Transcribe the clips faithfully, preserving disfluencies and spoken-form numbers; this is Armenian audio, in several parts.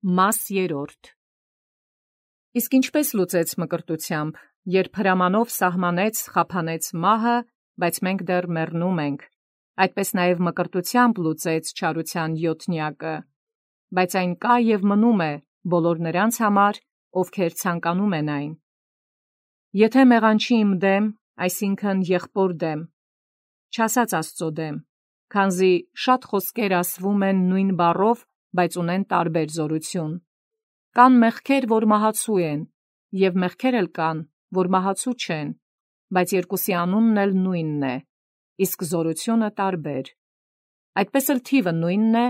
Մաս երրորդ. Իսկ ինչպես լուծեց մկրտությամբ, երբ հրամանով սահմանեց, խափանեց մահը, բայց մենք դեռ մեռնում ենք, այդպես նաև մկրտությամբ լուծեց չարության յոթնյակը, բայց այն կա և մնում է բոլոր նրանց համար, ովքեր ցանկանում են այն։ Եթե մեղանչի իմ դեմ, այսինքն եղբոր դեմ, չասած Աստծո դեմ, քանզի շատ խոսքեր ասվում են նույն բառով, բայց ունեն տարբեր զորություն։ Կան մեղքեր, որ մահացու են, և մեղքեր էլ կան, որ մահացու չեն, բայց երկուսի անունն էլ նույնն է, իսկ զորությունը տարբեր։ Այդպես էլ թիվը նույնն է,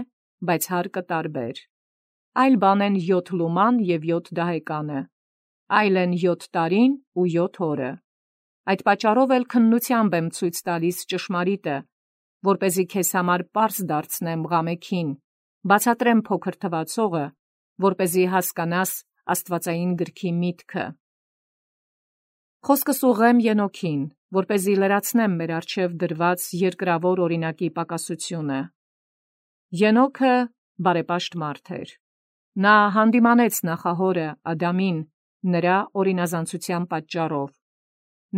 բայց հարկը տարբեր։ Այլ բան են յոթ լուման և յոթ դահեկանը, այլ են յոթ տարին ու յոթ օրը։ Այդ պատճառով էլ քննությամբ եմ ցույց տալիս ճշմարիտը, որպեսզի քեզ համար պարզ դարձնեմ ղամեքին, բացատրեմ փոքր թվացողը, որպեսզի հասկանաս աստվածային գրքի միտքը։ Խոսքս ուղղեմ Ենոքին, որպեսզի լրացնեմ մեր առջև դրված երկրավոր օրինակի պակասությունը։ Ենոքը բարեպաշտ մարդ էր։ Նա հանդիմանեց նախահորը Ադամին նրա օրինազանցության պատճառով։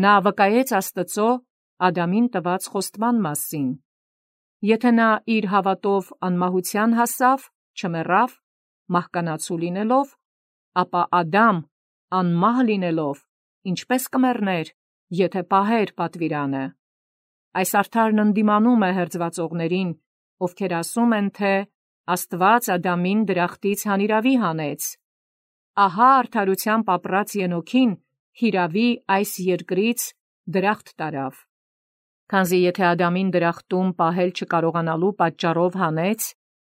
Նա վկայեց Աստծո Ադամին տված խոստման մասին։ Եթե նա իր հավատով անմահության հասավ, չմեռավ, մահկանացու լինելով, ապա Ադամ, անմահ լինելով, ինչպես կմեռներ, եթե պահեր պատվիրանը։ Այս արդարն ընդդիմանում է հերձվածողներին, ովքեր ասում են, թե Աստված Ադամին դրախտից հանիրավի հանեց։ Ահա արդարությամբ ապրած Ենոքին հիրավի այս երկրից դրախտ տարավ։ Քանզի եթե Ադամին դրախտում պահել չկարողանալու պատճառով հանեց,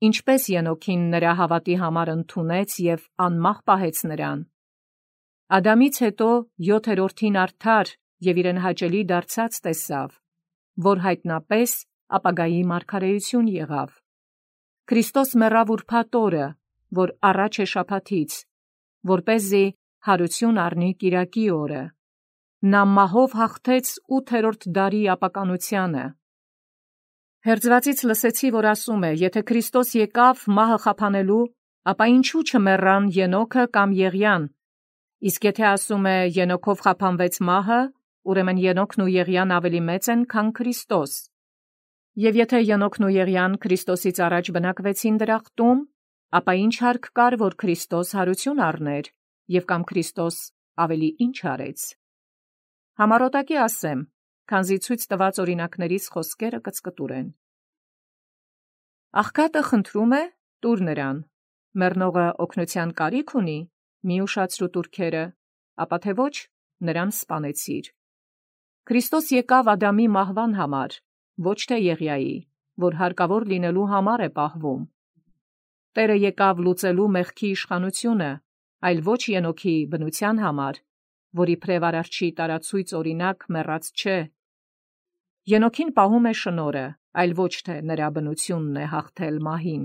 ինչպես Ենոքին նրա հավատի համար ընդունեց և անմահ պահեց նրան։ Ադամից հետո յոթերորդին արդար և իրեն հաճելի դարձած տեսավ, որ հայտնապես ապագայի մարգարեություն եղավ։ Քրիստոս մեռավ ուրբաթ օրը, որ առաջ է շաբաթից, որպեսզի հարություն առնի կիրակի օրը։ Նա մահով հաղթեց ութերորդ դարի ապականությանը։ Հերձվածից լսեցի, որ ասում է, եթե Քրիստոս եկավ մահը խափանելու, ապա ինչու չմեռան Ենոքը կամ Եղիան։ Իսկ եթե ասում է Ենոքով խափանվեց մահը, ուրեմն Ենոքն ու Եղիան ավելի մեծ են, քան Քրիստոս։ Եվ եթե Ենոքն ու Եղիան Քրիստոսից առաջ բնակվեցին դրախտում, ապա ինչ հարկ կար, որ Քրիստոս հարություն առներ, և կամ Քրիստոս ավելի ինչ արեց։ Համառոտակի ասեմ, քանզի ցույց տված օրինակներից խոսքերը կծկտուր են։ Աղքատը խնդրում է, տուր նրան, մեռնողը օգնության կարիք ունի, մի ուշացրու տուրքերը, ապա թե ոչ, նրան սպանեցիր։ Քրիստոս եկավ Ադամի մահվան համար, ոչ թե Եղիայի, որ հարկավոր լինելու համար է պահվում։ Տերը եկավ լուծելու մեղքի իշխանությունը, այլ ոչ Ենոքի բնության համար, որ իբրև Արարչի տարացույց օրինակ մեռած չէ։ Ենոքին պահում է շնորհը, այլ ոչ թե նրա բնությունն է հաղթել մահին։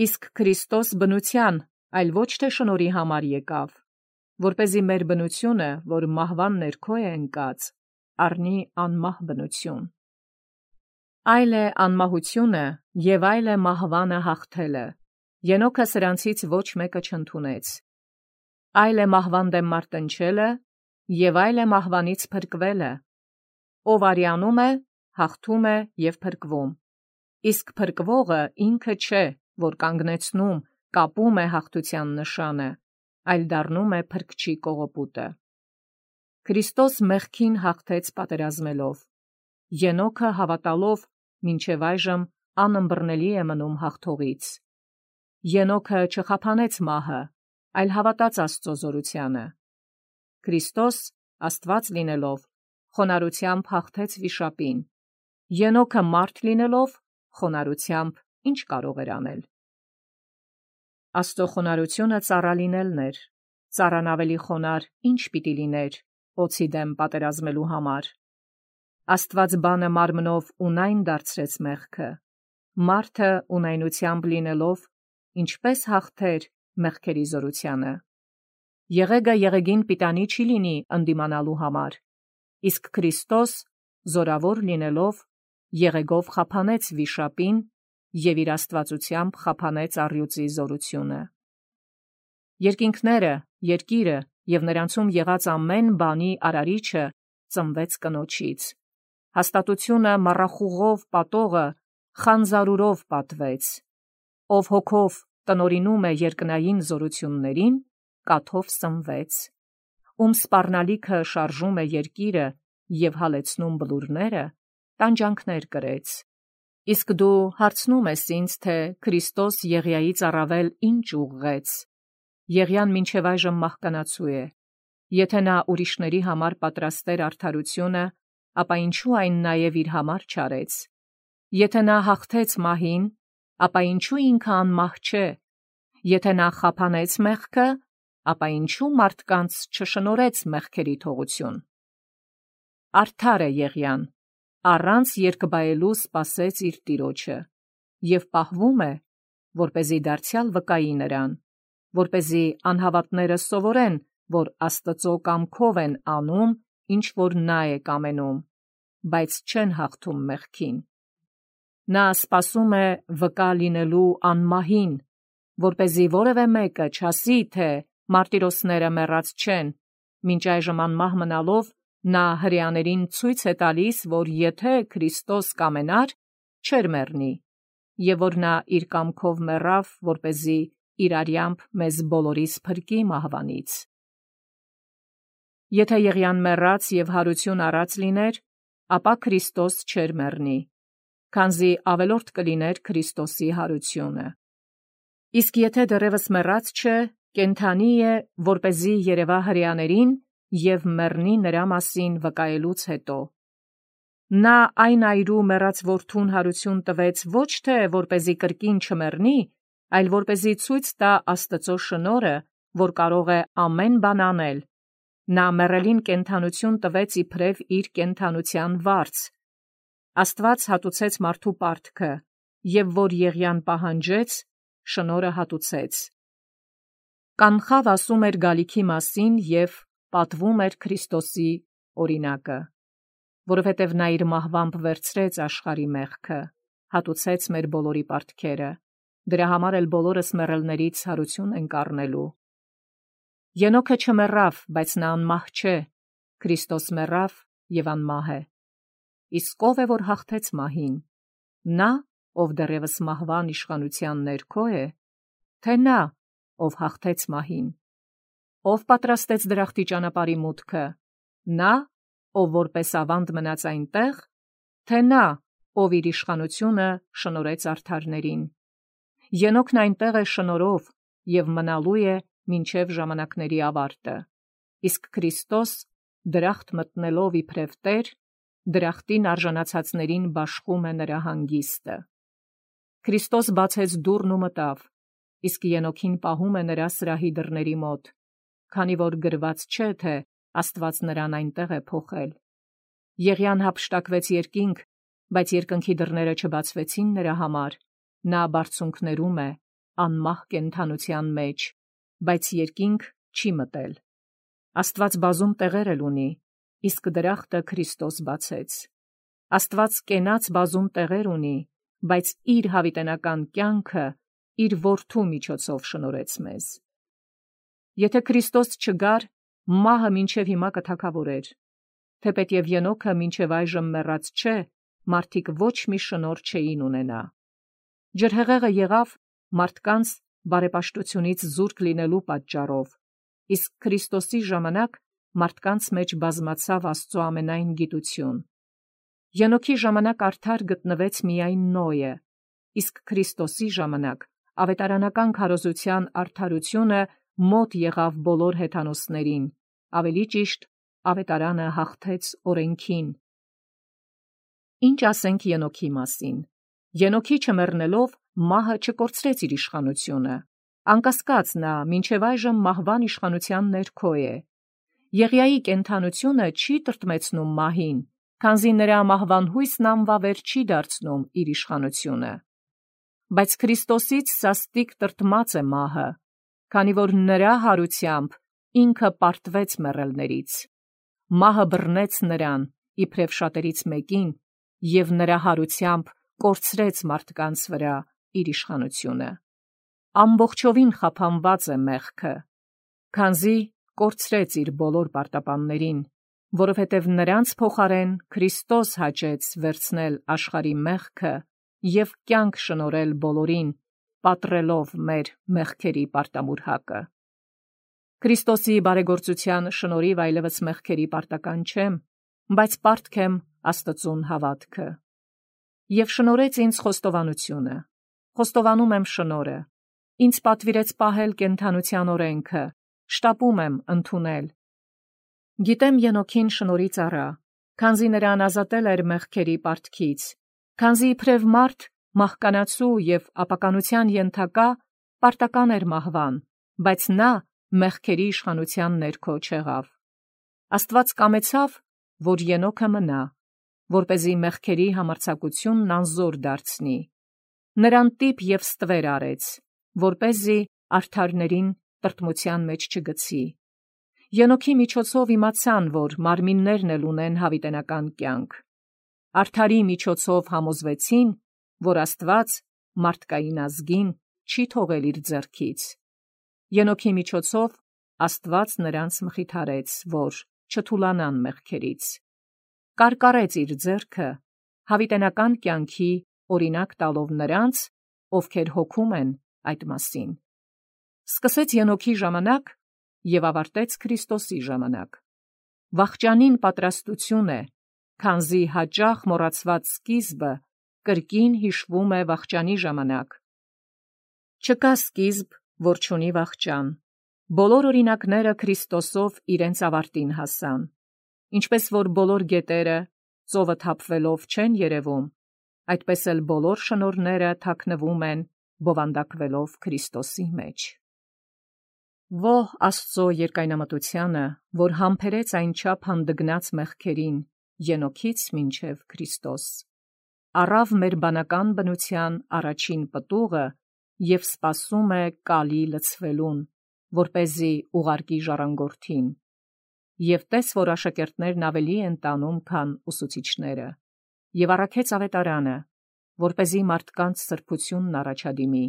Իսկ Քրիստոս բնության, այլ ոչ թե շնորհի համար եկավ, որպեսզի մեր բնությունը, որ մահվան ներքո է ընկած, առնի անմահ բնություն։ Այլ է անմահությունը և այլ է մահվանը հաղթելը։ Ենոքը սրանցից ոչ մեկը չընդունեց։ Այլ է մահվան դեմ մարտնչելը, և այլ է մահվանից փրկվելը։ Ով արյանում է, հաղթում է և փրկվում։ Իսկ փրկվողը ինքը չէ, որ կանգնեցնում, կապում է հաղթության նշանը, այլ դառնում է փրկչի կողոպուտը։ Քրիստոս մեղքին հաղթեց պատերազմելով։ Ենոքը հավատալով մինչև այժմ անըմբռնելի է մնում հաղթողից։ Ենոքը չխափանեց մահը, այլ հավատաց Աստծո զորությանը։ Քրիստոս, Աստված լինելով, խոնարհությամբ հաղթեց վիշապին։ Ենոքը մարդ լինելով, խոնարհությամբ ինչ կարող էր անել։ Աստծո խոնարհությունը ծառա լինելն էր։ Ծառան ավելի խոնարհ ինչ պիտի լիներ օձի դեմ պատերազմելու համար։ Աստված բանը մարմնով ունայն դարձրեց մեղքը։ Մարդը ունայնությամբ լինելով, ինչպես հաղթեր մեղքերի զորությանը։ Եղեգը եղեգին պիտանի չի լինի ընդդիմանալու համար, իսկ Քրիստոս զորավոր լինելով եղեգով խափանեց վիշապին և իր աստվածությամբ խափանեց առյուծի զորությունը։ Երկինքները, երկիրը և նրանցում եղած ամեն բանի արարիչը ծնվեց կնոջից։ Հաստատությունը մառախուղով պատողը խանձարուրով պատվեց։ Ով հոգով տնորինում է երկնային զորություններին, կաթով սնվեց։ Ում սպառնալիքը շարժում է երկիրը և հալեցնում բլուրները, տանջանքներ կրեց։ Իսկ դու հարցնում ես ինձ, թե Քրիստոս Եղիայից առավել ինչ ուղղեց։ Եղիան մինչև այժմ մահկանացու է։ Եթե նա ուրիշների համար պատրաստեր արդարությունը, ապա ինչու այն նաև իր համար չարեց։ Եթե նա հաղթեց մահին, ապա ինչու ինքը անմահ չէ։ Եթե նա խափանեց մեղքը, ապա ինչու մարդկանց չշնորհեց մեղքերի թողություն։ Արդար է Եղիան, առանց երկբայելու սպասեց իր տիրոջը, և պահվում է, որպեսզի դարձյալ վկայի նրան, որպեսզի անհավատները սովորեն, որ Աստծո կամքով են անում, ինչ որ նա է կամենում, բայց չեն հաղթում մեղքին։ Նա սպասում է վկա լինելու անմահին, որպեսզի որևէ մեկը չասի, թե մարտիրոսները մեռած չեն, մինչ այժմ անմահ մնալով նա հրեաներին ցույց է տալիս, որ եթե Քրիստոս կամենար, չէր մեռնի, և որ նա իր կամքով մեռավ, որպեսզի իր արյամբ մեզ բոլորիս փրկի մահվանից։ Եթե Եղիան մեռած և հարություն առած լիներ, ապա Քրիստոս չէր մեռնի, քանզի ավելորդ կլիներ Քրիստոսի հարությունը։ Իսկ եթե դեռևս մեռած չէ, կենդանի է, որպեսզի երևա հրեաներին և մեռնի նրա մասին վկայելուց հետո։ Նա այն այրու մեռած որդուն հարություն տվեց ոչ թե որպեսզի կրկին չմեռնի, այլ որպեսզի ցույց տա Աստծո շնորհը, որ կարող է ամեն բան անել։ Նա մեռելին կենդանություն տվեց իբրև իր կենդանության վարձ։ Աստված հատուցեց մարդու պարտքը, և որ Եղիան պահանջեց, շնորհը հատուցեց։ Կանխավ ասում էր գալիքի մասին և պատվում էր Քրիստոսի օրինակը, որովհետև նա իր մահվամբ վերցրեց աշխարհի մեղքը, հատուցեց մեր բոլորի պարտքերը, դրա համար էլ բոլորս մեռելներից հարություն ենք առնելու։ Ենոքը չմեռավ, բայց նա անմահ չէ, Քրիստոս մեռավ և անմահ է։ Իսկ ով է, որ հաղթեց մահին։ Նա, ով դեռևս մահվան իշխանության ներքո է, թե նա, ով հաղթեց մահին։ Ով պատրաստեց դրախտի ճանապարհի մուտքը, նա, ով որպես ավանդ մնաց այնտեղ, թե նա, ով իր իշխանությունը շնորհեց արդարներին։ Ենոքն այնտեղ է շնորհով և մնալու է մինչև ժամանակների ավարտը, իսկ Քրիստոս, դրախտ մտնելով իբրև Տեր, դրախտին արժանացածներին բաշխում է նրա հանգիստը։ Քրիստոս բացեց դուռն ու մտավ, իսկ Ենոքին պահում է նրա սրահի դռների մոտ, քանի որ գրված չէ, թե Աստված նրան այնտեղ է փոխել։ Եղիան հափշտակվեց երկինք, բայց երկնքի դռները չբացվեցին նրա համար, նա բարձունքներում է, անմահ կենդանության մեջ, բայց երկինք չի մտել։ Աստված բազում տեղեր էլ ունի, իսկ դրախտը Քրիստոս բացեց։ Աստված կենաց բազում տեղեր ունի, բայց իր հավիտենական կյանքը իր որդու միջոցով շնորհեց մեզ։ Եթե Քրիստոս չգար, մահը մինչև հիմա կթագավորեր։ Թեպետև Ենոքը մինչև այժմ մեռած չէ, մարդիկ ոչ մի շնորհ չէին ունենա։ Ջրհեղեղը եղավ մարդկանց բարեպաշտությունից զուրկ լինելու պատճառով, իսկ Քրիստոսի ժամանակ մարդկանց մեջ բազմացավ Աստծո ամենայն գիտություն։ Ենոքի ժամանակ արդար գտնվեց միայն Նոյը, իսկ Քրիստոսի ժամանակ ավետարանական քարոզության արդարությունը մոտ եղավ բոլոր հեթանոսներին, ավելի ճիշտ, ավետարանը հաղթեց օրենքին։ Ինչ ասենք Ենոքի մասին։ Ենոքի չմեռնելով մահը չկորցրեց իր իշխանությունը, անկասկած նա մինչև այժմ մահվան իշխանության ներքո է։ Եղիայի կենդանությունը չի տրտմեցնում մահին, քանզի նրա մահվան հույսն անվավեր չի դարձնում իր իշխանությունը։ Բայց Քրիստոսից սաստիկ տրտմած է մահը, քանի որ նրա հարությամբ ինքը պարտվեց մեռելներից։ Մահը բռնեց նրան, իբրև շատերից մեկին, և նրա հարությամբ կորցրեց մարդկանց վրա իր իշխանությունը։ ամբողջովին խափանված է մեղքը, քանզի կորցրեց իր բոլոր պարտապաններին, որովհետև նրանց փոխարեն Քրիստոս հաճեց վերցնել աշխարհի մեղքը և կյանք շնորհել բոլորին, պատռելով մեր մեղքերի պարտամուրհակը։ Քրիստոսի բարեգործության շնորհիվ այլևս մեղքերի պարտական չեմ, բայց պարտք եմ Աստծուն հավատքը։ Եվ շնորհեց ինձ խոստովանությունը, խոստովանում եմ շնորհը, ինձ պատվիրեց պահել կենդանության օրենքը, շտապում եմ ընդունել։ Գիտեմ Ենոքին շնորհից առա, քանզի նրան ազատել էր մեղքերի պարտքից, քանզի իբրև մարդ մահկանացու և ապականության ենթակա պարտական էր մահվան, բայց նա մեղքերի իշխանության ներքո չեղավ։ Աստված կամեցավ, որ Ենոքը մնա, որպեսզի մեղքերի համարձակությունն անզոր դարձնի։ Նրան տիպ և ստվեր արեց, որպեսզի արդարներին տրտմության մեջ չգցի։ Ենոքի միջոցով իմացան, որ մարմիններն էլ ունեն հավիտենական կյանք։ Արդարի միջոցով համոզվեցին, որ Աստված մարդկային ազգին չի թողել իր ձեռքից։ Ենոքի միջոցով Աստված նրանց մխիթարեց, որ չթուլանան մեղքերից։ Կարկառեց իր ձեռքը հավիտենական կյանքի օրինակ տալով նրանց, ովքեր հոգում են այդ մասին։ Սկսեց Ենոքի ժամանակ և ավարտեց Քրիստոսի ժամանակ։ Վախճանին պատրաստություն է, քանզի հաճախ մոռացված սկիզբը կրկին հիշվում է վախճանի ժամանակ։ Չկա սկիզբ, որ չունի վախճան։ Բոլոր օրինակները Քրիստոսով իրենց ավարտին հասան։ Ինչպես որ բոլոր գետերը ծովը թափվելով չեն երևում, այդպես էլ բոլոր շնորհները թաքնվում են բովանդակվելով Քրիստոսի մեջ։ Ողջ Աստծո երկայնամտությանը, որ համբերեց այնչափ հանդգնած մեղքերին, Ենոքից մինչև Քրիստոս, առավ մեր բանական բնության առաջին պտուղը և սպասում է կալի լցվելուն, որպեսզի ուղարկի ժառանգորդին։ Եվ տես, որ աշակերտներն ավելի են տանում, քան ուսուցիչները, և առաքեց ավետարանը, որպեսզի մարդկանց սրբությունն առաջադիմի։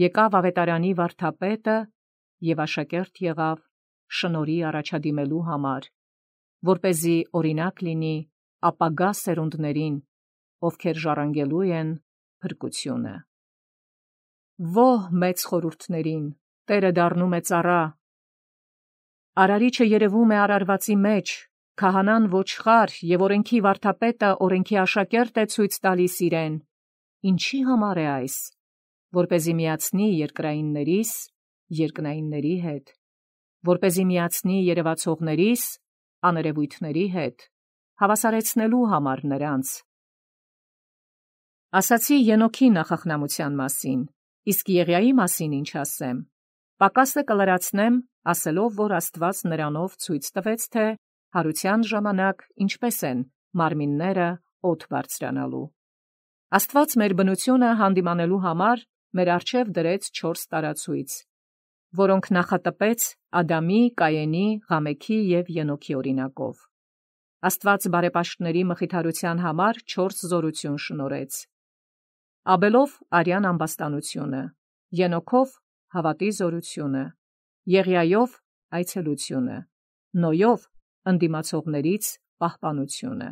Եկավ ավետարանի վարդապետը և աշակերտ եղավ շնորհի առաջադիմելու համար, որպեսզի օրինակ լինի ապագա սերունդներին, ովքեր ժառանգելու են փրկությունը։ Ո՛հ մեծ խորհուրդներին, Տերը դառնում է ծառա։ Արարիչը երևում է արարվածի մեջ, քահանան ոչխար և օրենքի վարդապետը օրենքի աշակերտ է ցույց տալիս իրեն։ Ինչի համար է այս, որպեսզի միացնի երկրայիններիս երկնայինների հետ, որպեսզի միացնի երևացողներիս աներևույթների հետ, հավասարեցնելու համար նրանց։ Ասացի Ենոքի նախախնամության մասին, իսկ Եղիայի մասին ինչ ասեմ։ Պակասը կլրացնեմ, ասելով, որ Աստված նրանով ցույց տվեց, թե հարության ժամանակ ինչպես են մարմինները օդ բարձրանալու։ Աստված մեր բնությունը հանդիմանելու համար մեր առջև դրեց չորս տարացույց, որոնք նախատպեց Ադամի, Կայենի, Ղամեքի և Ենոքի օրինակով։ Աստված բարեպաշտների մխիթարության համար չորս զորություն շնորհեց. Աբելով արյան ամբաստանությունը, Ենոքով հավատի զորությունը, Եղիայով այցելությունը, Նոյով ընդդիմացողներից պահպանությունը։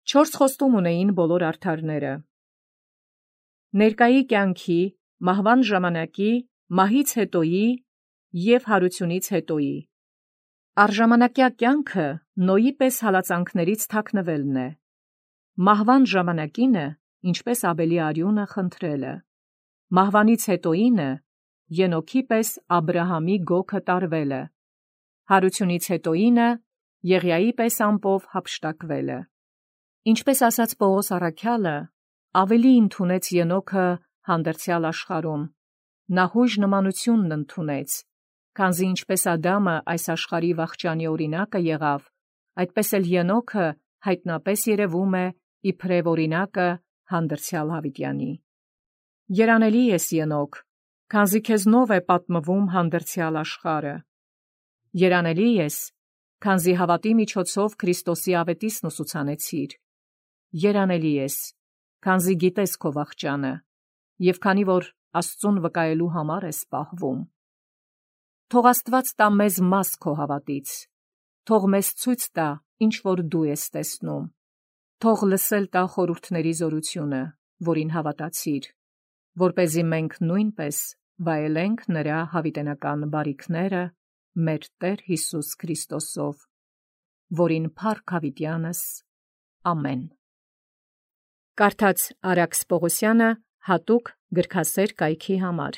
Չորս խոստում ունեին բոլոր արդարները. ներկայի կյանքի, մահվան ժամանակի, մահից հետոյի և հարությունից հետոյի։ Առժամանակյա կյանքը Նոյի պես հալածանքներից թաքնվելն է։ Մահվան ժամանակինը, ինչպես Աբելի արյունը խնդրելը։ Մահվանից հետոյինը, Ենոքի պես Աբրահամի գոգը տարվելը։ Հարությունից հետոյինը, Եղիայի պես ամպով հափշտակվելը։ Ինչպես ասաց Պողոս առաքյալը, ավելի ընդունեց Ենոքը հանդերձյալ աշխարհում, նա հույժ նմանությունն ընդունեց, քանզի ինչպես Ադամը այս աշխարհի վախճանի օրինակը եղավ, այդպես էլ Ենոքը հայտնապես երևում է իբրև օրինակը հանդերձյալ հավիտյանի։ Երանելի ես Ենոք, քանզի քեզնով է պատմվում հանդերձյալ աշխարհը։ Երանելի ես, քանզի հավատի միջոցով Քրիստոսի ավետիսն ուսուցանեցիր։ Երանելի ես, քանզի գիտես քո վախճանը, և քանի որ Աստծուն վկայելու համար ես պահվում։ Թող Աստված տա մեզ մաս քո հավատից, թող մեզ ցույց տա, ինչ որ դու ես տեսնում, թող լսել տա խորհուրդների զորությունը, որին հավատացիր, որպեսզի մենք նույնպես վայելենք նրա հավիտենական բարիքները մեր Տեր Հիսուս Քրիստոսով, որին փառք հավիտյանս, ամեն։ Կարդաց Արաքս Պողոսյանը հատուկ գրքասեր կայքի համար։